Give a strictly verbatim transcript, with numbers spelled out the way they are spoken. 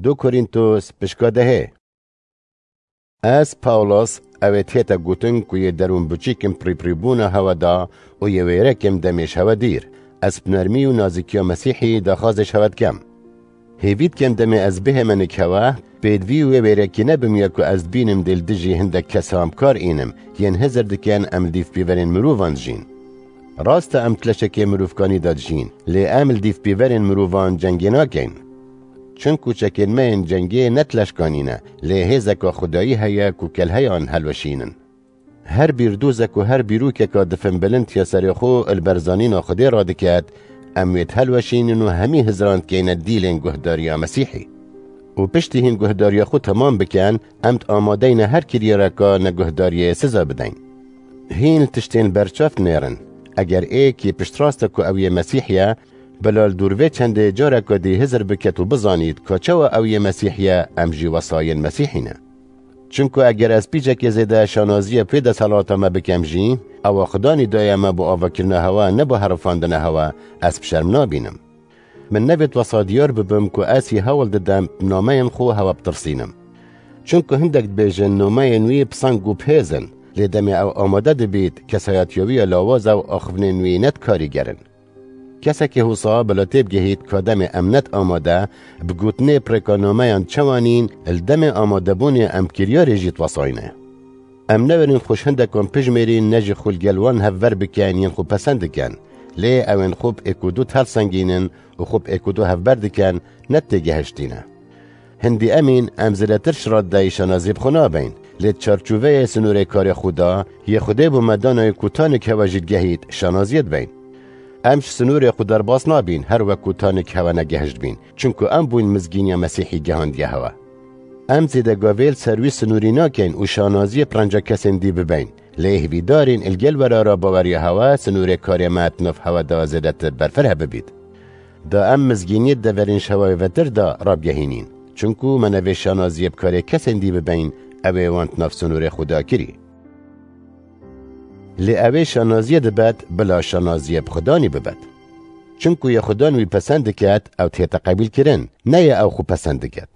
Du Korîntos pişka dehê. Ez, Pawlos, ew ê tête gotin ku yê derûnbiçîk im pirîpirîbûna hewe da û yê wêrek im demê ji hewe dîr. Ez bi nermî û nazikiya Mesîhî daxwazê ji hewe dikem. Hêvî dikem demê ez bihême nik hewe, pêdivî wê wêrekî nebim ya ku ez dibînim dê li dijî hindek kesan bi kar înim, yên hizir dikin em li dîvpîverên mirovan dijîn. Rast e, em di leşekê mirovkanî de dijîn, lê em li dîvpîverên mirovan cengê nakeyn. Çinku çekên me yên cengê ne di leşkanî ne, lê hêzeka Xwedayî heye ku kelheyan helweşînin. Her bîrdozek û her bîrokeka difin bilind ya serê xwe li ber zanîna Xwedê radiket, em wê dihelweşînin û hemî hizran dikeyne dîlên guhdariya Mesîhî. Û piştî hîn guhdariya xwe temam bikin, em di amadeyne her kiryareka neguhdariyê siza bideyn. Hîn tiştên berçav dinêrin. Eger ê kî piştrast e ku ew yê Mesîh ye, bila li dûr vê çendê careka dî hizir biket û bizanît ka çawa ew yê Mesîh ye, em jî wesayên Mesîhî ne. Çimku eger ez pîçekê zêde şanaziyê bi vê desthilata me bikem jî, ewa Xudanî daye me bo avakirina hewa, ne bo herifandina hewa, ez bi şerm nabînim. Min nevêt wesa diyar bibim ku ez hî hewl didem bi nameyên xwe hewa bitirsînim. Çimku hindek dibêjin nameyên wî bi seng û bi hêz in, lê demê ew amade dibît, kesayetiya wî ya lawaz e û axivnên wî ne di karîger in. Kesekî husa bila têbigihît ka demê em ne di amade bi gotinê pirêka nameyan çawa nîn, li demê amadebûnê em kiryarê jî diwesayne. Em newerîn xwe ji hindekan pijmêrîn, ne jî xwe li gel wan hevber bikin yên xwe pesend dikin. Lê ew ên xwe bi êk û du dihelsengînin û xwe bi êk û du hevber dikin, ne têgihiştî ne. Hindî emîn, em zêdetir şiradeyî şanaziyê bi xwe nabeyn. Lê di çarçoveyê sinûrê karê xwe da, yê Xwedê bo me danayê ku tanik hewe jî digehît, şanaziyê dibeyn. Em ji sinûrê xwe derbas nabîn, her wek ku tanik hewe negehişt bîn. Çimku em bûyn mizgîniya Mesîhî gihandiye hewe. Em zêde gavê li ser wî sinûrî nakeyn û şanaziyê bi renca kesên dî bibeyn. Lê hêvîdarîn li gel werara baweriya hewe sinûrê karê me di nav hewe de zêdetir berfireh bibît. Da em mizgîniyê di deverên ji hewayê vetir de rabgehînîn. Çimku me nevê şanaziyê bi karê kesên dî bibeyn, ew ê wan di nav sinûrê xwe de kirî. Lê ew ê şanaziyê dibet, bila şanaziyê bi Xudanî bibet. Çimku yê Xudan wî pesend diket, ew dihête qebîlkirin, ne yê ew xwe pesend diket.